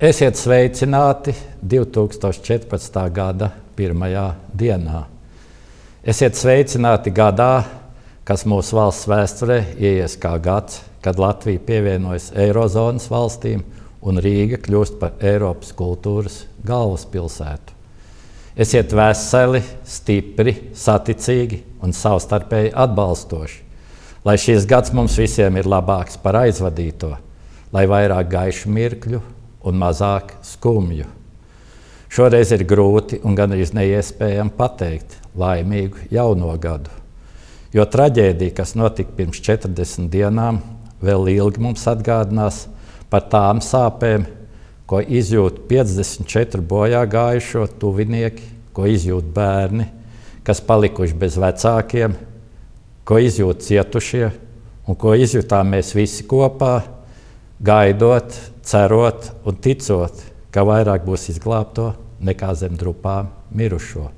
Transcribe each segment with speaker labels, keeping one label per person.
Speaker 1: Esiet sveicināti 2014. gada 1. dienā. Esiet sveicināti gadā, kas mūsu valsts vēsturē ieies kā gads, kad Latvija pievienojas Eirozonas valstīm un Rīga kļūst par Eiropas kultūras galvaspilsētu. Esiet veseli, stipri, saticīgi un savstarpēji atbalstoši, lai šis gads mums visiem ir labāks par aizvadīto, lai vairāk gaišu mirkļu un mazāk skumju. Šoreiz ir grūti un gandrīz neiespējami pateikt laimīgu jauno gadu, jo traģēdija, kas notika pirms 40 dienām, vēl ilgi mums atgādinās par tām sāpēm, ko izjūt 54 bojā gājušo tuvinieki, ko izjūt bērni, kas palikuši bez vecākiem, ko izjūt cietušie un ko izjūtām mēs visi kopā, gaidot, cerot un ticot, ka vairāk būs izglābto nekā zem drupām mirušo.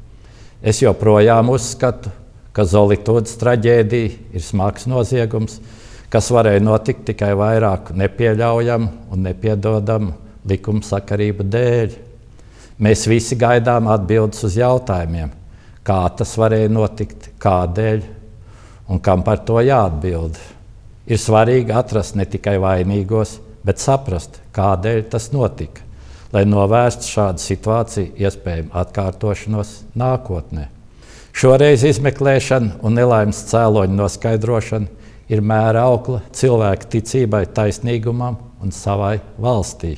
Speaker 1: Es joprojām uzskatu, ka Zolitūdes traģēdija ir smags noziegums, kas varēja notikt tikai vairāk nepieļaujamu un nepiedodamu likumsakarību dēļ. Mēs visi gaidām atbildes uz jautājumiem, kā tas varēja notikt, kādēļ un kam par to jāatbild. Ir svarīgi atrast ne tikai vainīgos, bet saprast, kādēļ tas notika, lai novērstu šādu situāciju iespējamu atkārtošanos nākotnē. Šoreiz izmeklēšana un nelaimes cēloņu noskaidrošana ir mēra aukla cilvēka ticībai, taisnīgumam un savai valstī.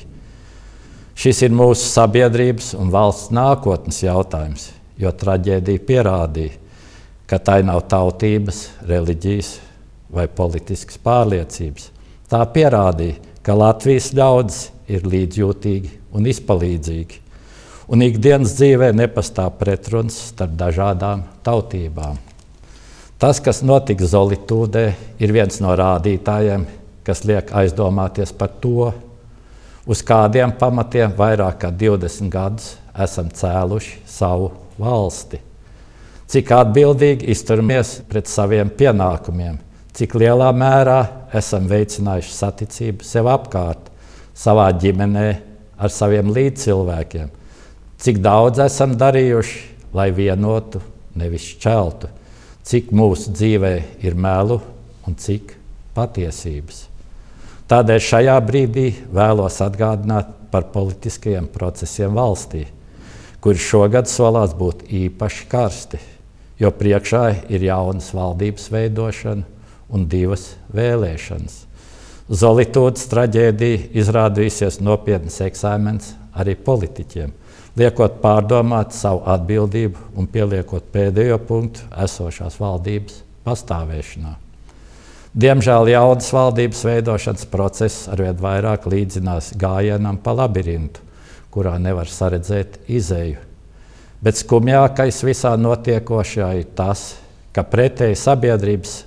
Speaker 1: Šis ir mūsu sabiedrības un valsts nākotnes jautājums, jo traģēdija pierādīja, ka tai nav tautības, reliģijas vai politiskas pārliecības. Tā pierādīja, ka Latvijas ļaudis ir līdzjūtīgi un izpalīdzīgi, un ikdienas dzīvē nepastāv pretruns starp dažādām tautībām. Tas, kas notika Zolitūdē, ir viens no rādītājiem, kas liek aizdomāties par to, uz kādiem pamatiem vairāk kā 20 gadus esam cēluši savu valsti. Cik atbildīgi izturamies pret saviem pienākumiem, cik lielā mērā esam veicinājuši saticību sev apkārt, savā ģimenē, ar saviem līdzcilvēkiem, cik daudz esam darījuši, lai vienotu, nevis šķeltu, cik mūsu dzīvē ir melu un cik patiesības. Tādēļ šajā brīdī vēlos atgādināt par politiskajiem procesiem valstī, kuri šogad solās būt īpaši karsti, jo priekšā ir jaunas valdības veidošana un 2 vēlēšanas. Zolitūdes traģēdija izrādījusies nopietns eksāmens arī politiķiem, liekot pārdomāt savu atbildību un pieliekot pēdējo punktu esošās valdības pastāvēšanā. Diemžēl jaunas valdības veidošanas process arvien vairāk līdzinās gājienam pa labirintu, kurā nevar saredzēt izeju. Bet skumjākais visā notiekošajā ir tas, ka pretēji sabiedrības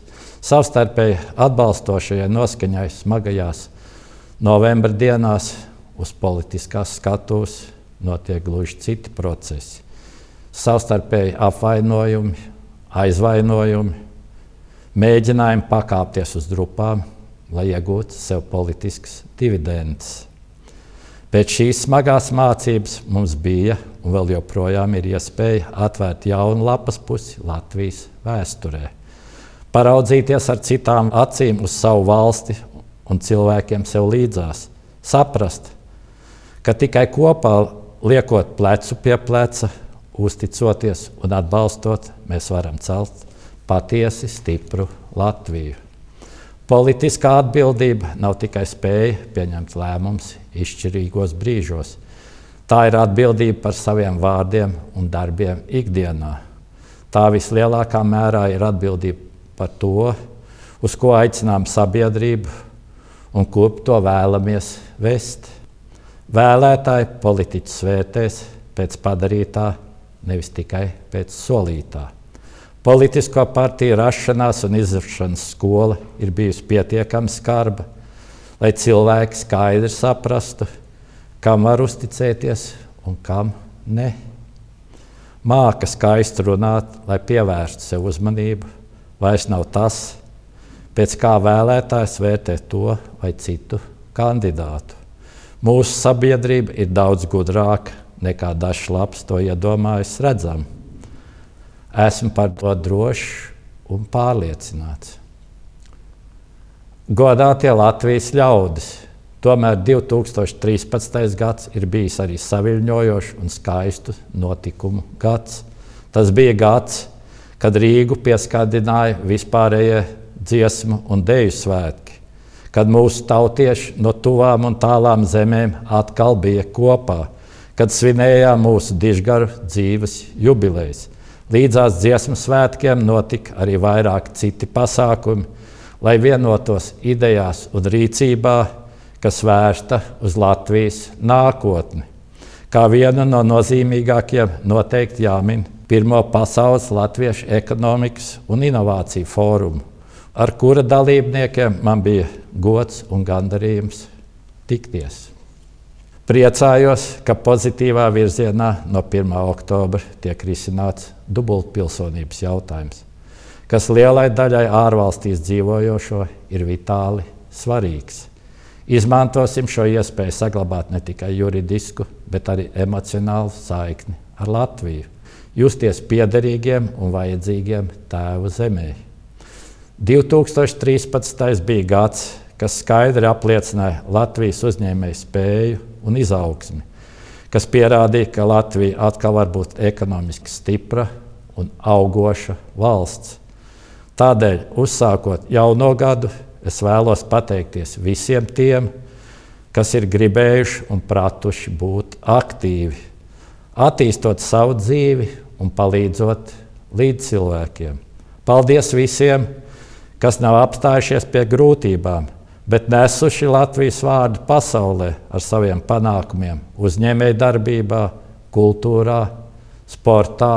Speaker 1: savstarpēji atbalstošajai noskaņai smagajās novembra dienās uz politiskās skatuves notiek gluži citi procesi. Savstarpēji apvainojumi, aizvainojumi, mēģinājumi pakāpties uz drupām, lai iegūtu sev politiskas dividendes. Pēc šīs smagās mācības mums bija un vēl joprojām ir iespēja atvērt jaunu lapas pusi Latvijas vēsturē. Paraudzīties ar citām acīm uz savu valsti un cilvēkiem sev līdzās. Saprast, ka tikai kopā liekot plecu pie pleca, uzticoties un atbalstot, mēs varam celt patiesi stipru Latviju. Politiskā atbildība nav tikai spēja pieņemt lēmumus izšķirīgos brīžos. Tā ir atbildība par saviem vārdiem un darbiem ikdienā. Tā vislielākā mērā ir atbildība par to, uz ko aicinām sabiedrību un kurp to vēlamies vest. Vēlētāji politiķus vērtēs pēc padarītā, nevis tikai pēc solītā. Politisko partiju rašanās un izvēršanas skola ir bijusi pietiekami skarba, lai cilvēki skaidri saprastu, kam var uzticēties un kam ne. Māka skaisti runāt, lai pievērstu sev uzmanību, vairs nav tas, pēc kā vēlētājs vērtē to vai citu kandidātu. Mūsu sabiedrība ir daudz gudrāka nekā dažs labs to iedomājas redzam. Esmu par to drošs un pārliecināts. Godātie Latvijas ļaudis, tomēr 2013. gads ir bijis arī saviļņojošs un skaistu notikumu gads. Tas bija gads, kad Rīgu pieskandināja vispārējie dziesmu un deju svētki, kad mūsu tautieši no tuvām un tālām zemēm atkal bija kopā, kad svinējām mūsu dižgaru dzīves jubilejas. Līdzās dziesmu svētkiem notika arī vairāk citi pasākumi, lai vienotos idejās un rīcībā, kas vērsta uz Latvijas nākotni. Kā vienu no nozīmīgākajiem noteikti jāmin Pirmo pasaules latviešu ekonomikas un inovāciju fórumu, ar kura dalībniekiem man bija gods un gandarījums tikties. Priecājos, ka pozitīvā virzienā no 1. oktobra tiek risināts dubultpilsonības jautājums, kas lielai daļai ārvalstīs dzīvojošo ir vitāli svarīgs. Izmantosim šo iespēju saglabāt ne tikai juridisku, bet arī emocionālu saikni ar Latviju, justies piederīgiem un vajadzīgiem tēvu zemē. 2013. bija gads, kas skaidri apliecināja Latvijas uzņēmēju spēju un izaugsmi, kas pierādīja, ka Latvija atkal var būt ekonomiski stipra un augoša valsts. Tādēļ, uzsākot jauno gadu, es vēlos pateikties visiem tiem, kas ir gribējuši un pratuši būt aktīvi, attīstot savu dzīvi un palīdzot līdzcilvēkiem. Paldies visiem, kas nav apstājušies pie grūtībām, bet nesuši Latvijas vārdu pasaulē ar saviem panākumiem uzņēmējdarbībā, kultūrā, sportā,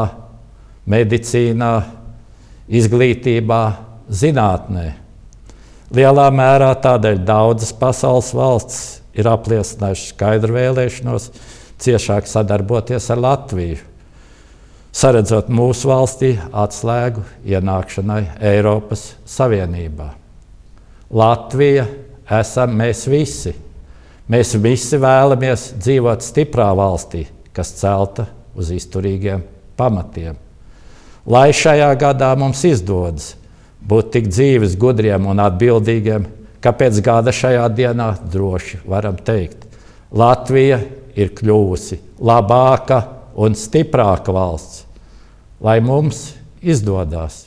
Speaker 1: medicīnā, izglītībā, zinātnē. Lielā mērā tādēļ daudzas pasaules valstis ir apliecinājušas skaidru vēlēšanos ciešāk sadarboties ar Latviju, saredzot mūsu valstī atslēgu ienākšanai Eiropas Savienībā. Latvija esam mēs visi. Mēs visi vēlamies dzīvot stiprā valstī, kas celta uz izturīgiem pamatiem. Lai šajā gadā mums izdodas būt tik dzīves, gudriem un atbildīgiem, ka pēc gada šajā dienā droši varam teikt, Latvija ir kļuvusi labāka un stiprāka valsts. Lai mums izdodas!